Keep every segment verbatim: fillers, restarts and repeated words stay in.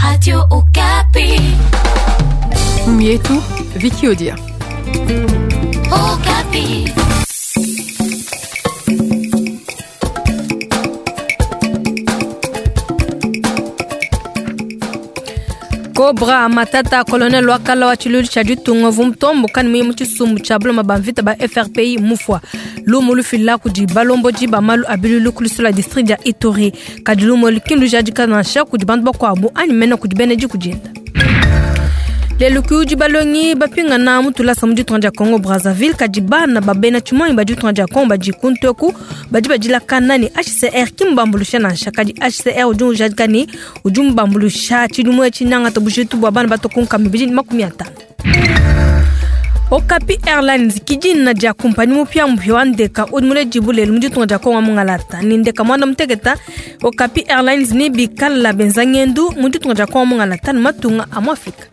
Radio Okapi. Mietu, Vicky Odia. Okapi. Cobra Matata colonel wakala wa tshilulu tshia ditunga vumutombo kani muye mu tshisumbu tshia buloma ba mvita ba F R P I mufwa lumu lufila kudi balombodi ba malu a bilulu ku lusula district dia Ituri kadi lumu lukindu jadika nansha kudi bantu bakuabu anyi mene kudi bena diku dienda. Lelu kudi balongi bapingana mu tulasa mu ditunga dia Congo Brazzaville kadi bana ba bena tshimonyi ba ditunga dia Congo badi kunteku badi badilakana ne H C R kimbambulusha nansha kadi H C R udi ujadika ne udi mbambulusha tshidimu etshi nangata bujitu bua bana batokunka mibidi makumi atanu. Okapi Airlines kidina dia kompani mupya mupya wa ndeka udi mulejibu lelu mu ditunga dia Congo mungalata ni ndeka mwanda muteketa Okapi Airlines ni bikala benza ngendu mu ditunga dia Congo mungalata ni matunga a mu Afrika.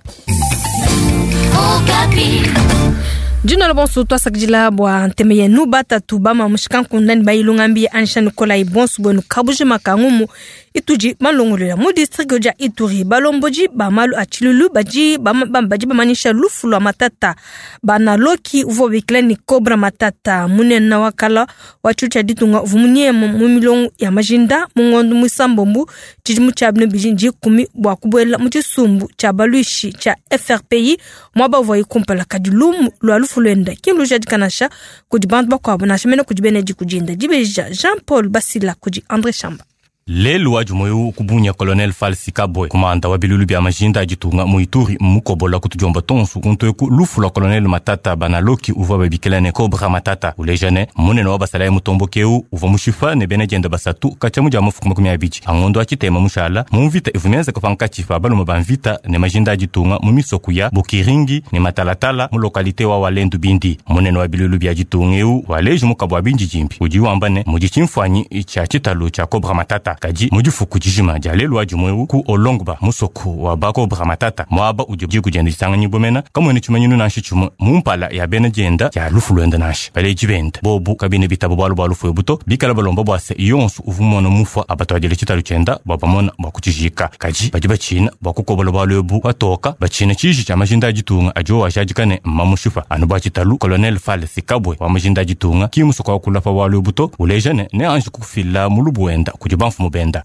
Jina la bonso twasakidila bua nteme yenu batatu bama mushikanku ndani bayilunga mbi Anisha Nikolai bonso bwenu kabuje makangumu ituji malongolola mu district dia Ituri balomboji ba malu a tshilulu baji bambaji bamanisha lufu lwa Matata banaloki uvo bikila ni Cobra Matata munene wakala wa tshilulu tshia ditunga uvumunye mu milongo ya majinda mu ngondo musambombu tshidimu tshia bino bijinji kumi bua kubuela mu tshisumbu tshia baluishi tshia F R P I mwaba uvua ikumpala kadi lumu lwa lufu lwenda kindu jadikanasha kudi bantu bakuabu nansha mene kudi bene dikudinda dibeja Jean-Paul Basila kudi André Chamba. Lelu wa jumoyo kubunya Colonel Falsi Kabwe kumanda wa bilulu bya majinda ajitunga mu Ituri mukobola kutujomba tonsu kuntoku lufu lwa Colonel Matata banaloki uvwa babikilane Cobra Matata ulejane munene wa basala mutombo keu uvwa mushifa ne bene jenda basatu kachamu ja mufuku makumi abiji angondo achitema mushala mu mvita ivumenza kupanka chifa baluma ba mvita ne majinda ajitunga mu misoku ya Bukiringi ne Matalatala mu lokalite wa Walendu Bindi munene wa bilulu bya jitunga eu waleje mukabwa binji jimbi uji wambane mu jicimfwanyi cha chitalu cha Cobra Matata kaji mujifuku jijima dia lelu wa jumwewu ku olongba musoku wa ba Cobra Matata mwaba udi jikujenda jitangani bomena kamwene chimanyinu nanshi chumwe mumpala ya bena jenda ya lufu lwenda nanshi baleji benda bobu kabine bitabo bwalu bwa lufu ebuto bikala balomba bwase yonsu uvumona mufwa abatwadile chitalu chenda bwabamona bwa kuchijika kaji baji bachina bwa kukobola bwalu ebu batoka bachina chiji cha majinda ajitunga ajo washajikane mmamushufa anu bwa chitalu Colonel Falsi Kabwe wa majinda ajitunga kimusoku wa kulapa bwalu ebuto ulejane ne anji kufila mulubu wenda kudi banfumu benda.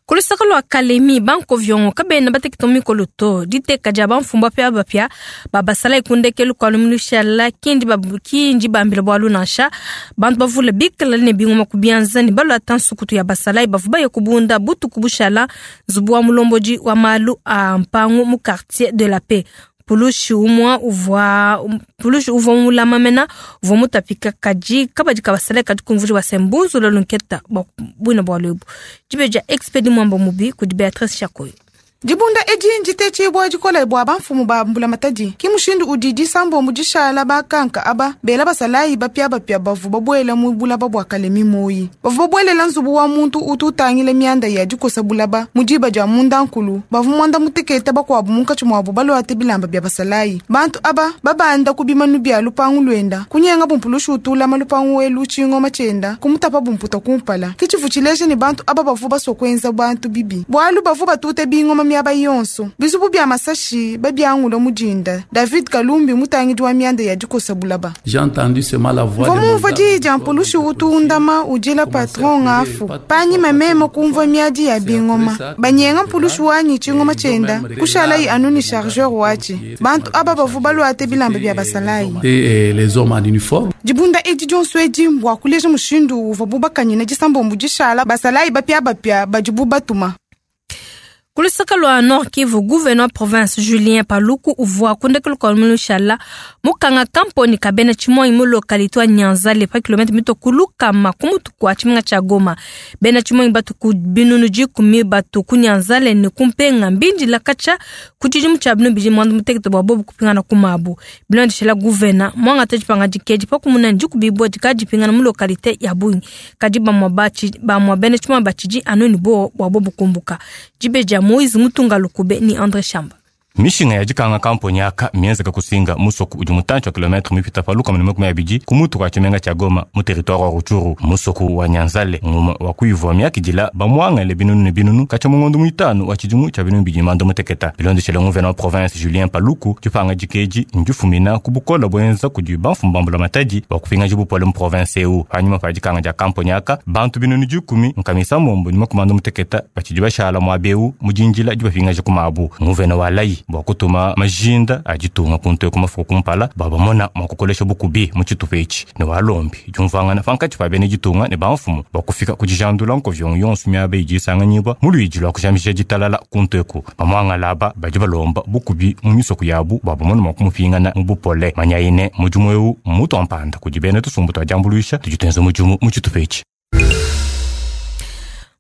Kulusaka lwa Kalemi banko vyongo kabena batekito mikolo to diteka dia bamfumba pia bapia babasala ikundekelu kwa lumulusha la kindi babuki bambila bwalu nansha bantu bavule bikala ne bingoma kubianza ni balu atansu kutu ya basala bavuba ya kubunda butu kubushala zubu wa mulomboji wa malu a mpangu mu quartier de la paix. Pulushi umwa uvwa pulushi uvwa mulama mena uvwa mutapika kaji kabadi kabasale kadi kumvuji wa sembuzu lolunketa bwina bwa lwebu jibeja expedi mwamba mubi kudi Beatrice Chakoyo. Dibunda edi njite bwa dikola bwa bamfumu ba mbula matadi kimushindu udidi sambo mudishala bakanka aba bela basalayi bapya bapya bavu babwela mu bulaba bwa Kalemi moyi bavu babwelela nzubu wa muntu ututangile mianda ya dikosa bulaba mudiba dia munda nkulu bavu mwanda muteketa bakwabu munkatshi mwabu balwate bilamba bya basalayi bantu aba babanda kubimanu bya lupangu lwenda kunyenga bumpulushu utulama lupangu welu chingoma chenda kumutapa bumputa kumpala kichivu chileje ni bantu aba bavu basokwenza bantu bibi bwalu bavu batute bingoma miaba yonso bizubu bya masashi babyangulo mujinda David Kalumbi mutangidi wa mianda ya dikosa bulaba. J'ai entendu seulement la voix de Vomumva di dia mpulushi utundama ujila patron ngafu panyi mamema kumva miadi ya bingoma banyenga mpulushi wanyi chingoma chenda kushala yi anuni chargeur wachi bantu aba bavu balwate bilamba bya basalayi et les hommes en uniforme. Dibunda edi dionso edi mbwa kuleja mushindu uva bubakanyina disambombu dishala basalayi bapya bapya badibu batuma. Kulusaka lwa Nord Kivu, gouverneur province Julien Paluku uvua kundekelu kwa mulushala mukanga kamponi kabena chimoi mu localité wa Nyanza le pa kilomètre mito kuluka makumutu kwa chiminga cha Goma. Bena chimoi batu ku binunu jikumi batu ku Nyanza le ni kumpenga mbindi la kacha kuchijimu cha binu biji mwandu mutekete bwa bobu kupingana kumabu. Bilandi shela gouverneur mwanga tejipanga jikeji pa kumuna njikubibwa jikajipingana mu localité ya Bunyi. Kajiba mwabachi ba mwabene chimoi bachiji anoni bo bwa bobu kumbuka. Jibeja Moïse Mutunga Lukube ni André Chamba. Mishinga ya dikanga kamponi aka mienzeka kusinga musoku udi mutantshi wa kilometre mipita pa lukama ne makumi abidi ku mutu kua tshimenga tshia Goma mu territoire wa Rutshuru. Musoku wa Nyanzale ngumue wa kuivua miakidila bamuangale binunu ne binunu katshia mu ngondo muitanu wa tshidimu tshia binunu bidi manda muteketa. Bilondeshele nguvena wa province Julien Paluku, dipanga dikeji ndifumina ku bukola buenza kudi bamfumu ba mbulamatadi bua kupingaja bupole mu province eu. Panyima pa dikanga dia kamponi aka, bantu binunu dikumi nkamisa mombo ne makumi anda muteketa batshidi bashala muaba eu mu dindila dibapingaja ku mabu. Nguvena wa layi bua kutuma majinda a ditunga kuntu eku mafuku kumpala bua bamona mua kukolesha bukubi mu tshitupa etshi ne walombi diumvuangana pankatshi pa bena ditunga ne bamfumu bua kufika ku dijandula nkovyongo yonso miaba idi isanganyibua mu luidi lua kujamisha ditalala kuntu eku. Bamuangala aba badi balomba bukubi mu misoko yabu bua bamone mua kumupingana mu bupole. Manyaine mudimu eu mmutua mpanda kudi bena tusumbu tua diambuluisha tudi tuenza mudimu mu tshitupa etshi.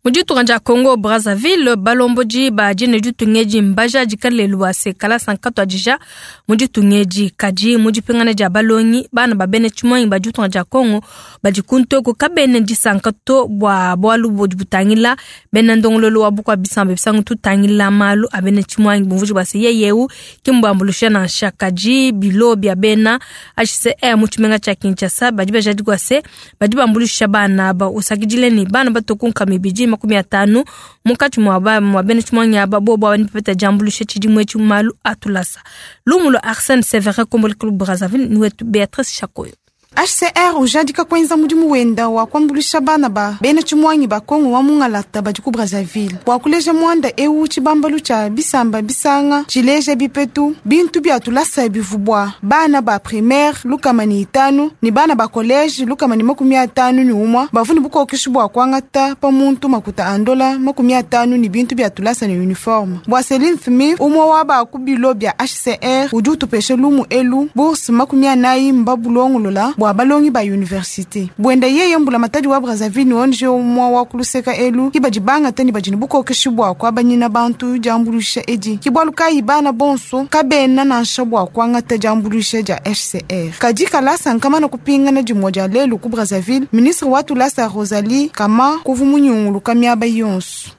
Mu ditunga dia Congo Brazzaville, balomboji ba dine ditunga edi mbajadika lelu bua se kalasa nkatuadija mu ditunga edi. Kadi mu dipingana dia balongi, bana ba bena tshimuangi ba ditunga dia Congo badi kuntu eku kabena disanka to bua bualu budi butangila bena ndongololo wa bukua bisamba bisangu tutangila malu a bena tshimuangi bumvuji bua se yeye eu ki mbuambuluisha nansha. Kadi bilo bia bena H C R mu tshimenga tshia Kinshasa badi bajadika bua se badi bambuluisha bana aba usakidile ne bana batoku nkama ibidi makumi atanu munkatshi mua ba mua bena tshimuangi aba bobo aba nipepeta diambuluisha tshidimu etshi mu malu atulasa. Lumu lua Arsène Severin Komboli Club Brazzaville ni wetu Beatrice Chakoyo. H C R ujadika kwenza mudimu wenda wa kuambuluisha bana ba bena tshimuangi ba Kongo wa mungalata badi ku Brazzaville bua kuleja muanda eu tshibambalu tshia bisamba bisanga tshileja bipetu bintu bia tulasa bivubua bana ba primaire lukama ni itanu ni bana ba collège lukama ni makumi atanu ni umwa bavuni bukokeshi bua kuangata pa muntu makuta andola makumi atanu ni bintu bia tulasa ni uniforme. Bua Celine Smith umwa wa ba ku bilo bia H C R udi utupesha lumu elu bourse makumi anayi mbabulongolola bua balongi ba université. Bwenda yeye mbula matadi wa Brazzaville ni onje umwa wa kuluseka elu kibadi bangata ni badi ni bukokeshi bua kuabanyina bantu diambuluisha edi. Kibwalu kayi bana bonso kabena nansha bua kuangata diambuluisha dia H C R. Kadi kalasa nkamana kupingana dimue dia lelu ku Brazzaville, ministre wa tulasa Rosalie Kama kuvu munyunguluka miaba yonso.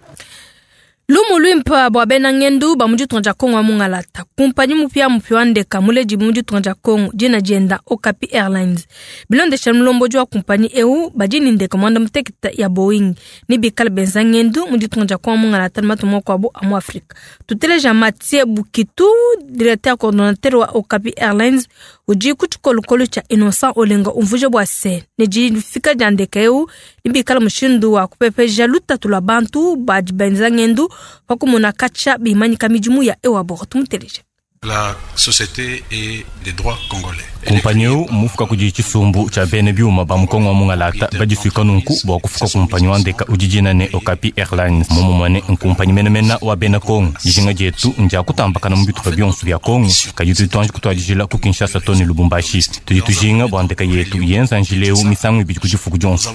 Lumu luimpa bua bena ngendu ba mu ditunga dia Kongo wa mungalata. Kumpanyi mupia mupia wa ndeka muledi mu ditunga dia Kongo dina dienda Okapi Airlines. Bilondesha mulomboji wa kumpanyi eu badi ni ndeka mwanda muteketa ya Boeing ni bikala benza ngendu mu ditunga dia Kongo wa mungalata ni matu mwakuabu a mu Afrika. Tuteleja Mathieu Bukitu, directeur coordonnateur wa Okapi Airlines, udi ku tshikolokolo tshia Innocent Olenga umvuje bua se ne difika dia ndeka eu ni bikala mushindu wa kupepeja lutatu lua bantu badi benza ngendu pakumona katshia bimanyika midimu ya ewabor. Tumuteleje. La société est des droits congolais. Kumpanyi eu mufuka kudi tshisumbu tshia bene biuma ba mukongo wa mungalata badisuika nunku bua kufuka kumpanyi wa ndeka udi dina ne Okapi Airlines. Momumane nkumpanyi menemena wa bena Kongo. Dijinga dietu ndia kutambakana mu bitupa bionso bia Kongo kadi tudi tuanji kutuadijila ku Kinshasa to ne Lubumbashi. Tudi tujinga bua ndeka yetu yenza njila eu misangu ibidi ku difuku dionso,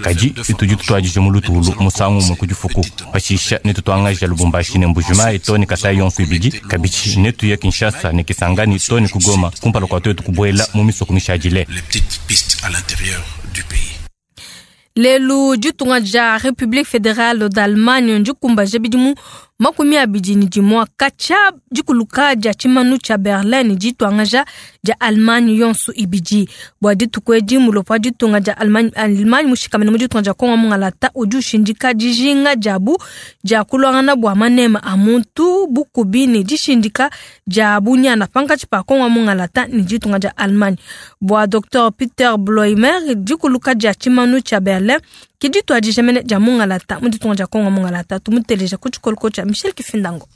kadi tudi tutuadija mu lutulu musangu umue ku difuku. Pashisha ne tutuangaja Lubumbashi ne Mbujimayi to ne Kasai yonso ibidi, kabidi ne tuya Kinshasa ne Kisangani to ne ku Goma kumpala kua tuetu kubuela mu misoko mishadile. Les petites pistes à l'intérieur du pays. Lelu ditunga dia République fédérale d'Allemagne ndikumbaja bidimu makumi abidi ni dimua katshia dikuluka dia tshimanu tshia Berlin dituangaja dia Allemagne yonso ibidi. Bua dituku edi mulopo wa ditunga dia Allemagne, Allemagne mushikamene mu ditunga dia Kongo mungalata udi ushindika dijinga diabu dia kulwangana bua manema a muntu bukubi ne dishindika dia bunyana pankatshi pa Kongo mungalata ne ditunga dia Allemagne. Bua Docteur Peter Bloimer dikuluka dia tshimanu tshia Berlin kidituadija mene dia mungalata mu ditunga dia Kongo mungalata. Tumuteleja ku tshikoloko tshia Michel Kifindango.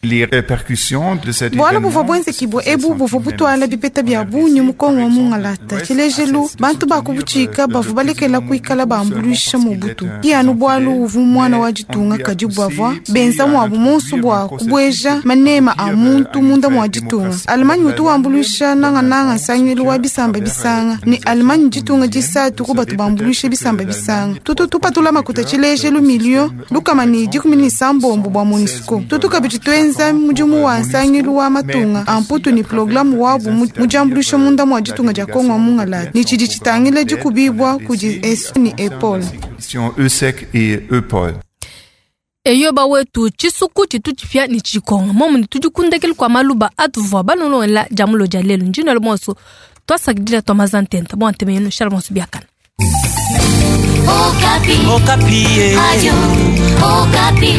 Les répercussions de cet Bwala buvua buenzekibua ebu buvua butuala bipeta bia bungi mu Kongo wa mungalata. Tshilejelu bantu bakubutshika bavua balekela kuikala bambuluisha mu butu. Ki anu bwalu uvu mwana wa ditunga kadi bavua benza muabu monso bua kubueja manema a muntu munda mua ditunga. Allemagne utu wambuluisha nangananga nsangilu wa bisamba bisanga ni Allemagne ditunga disatu ku batu bambuluisha bisamba bisanga. Tutu tupatula makuta tshilejelu milio lukama ni dikumi ni sambombo bua MONUSCO. Tutu kabidi tuenza mudimu wa nsangilu wa matunga amputu ni programu wabu mudiambuluisha munda mua ditunga dia Kongo wa mungalata ni tshidi tshitangila dikubibwa kudi E S ni EPOL. E S E C et EPOL. Eyo bawetu tshisuku tshitu tshipia ni tshikonga momu ni tudikundekele kwa maluba atuvua balonlola jamulo dia lelu njino bonso twasakidila twa mazantenta bwa nteme yenu shala bonso biakana. Okapi. Okapi. Radio Okapi.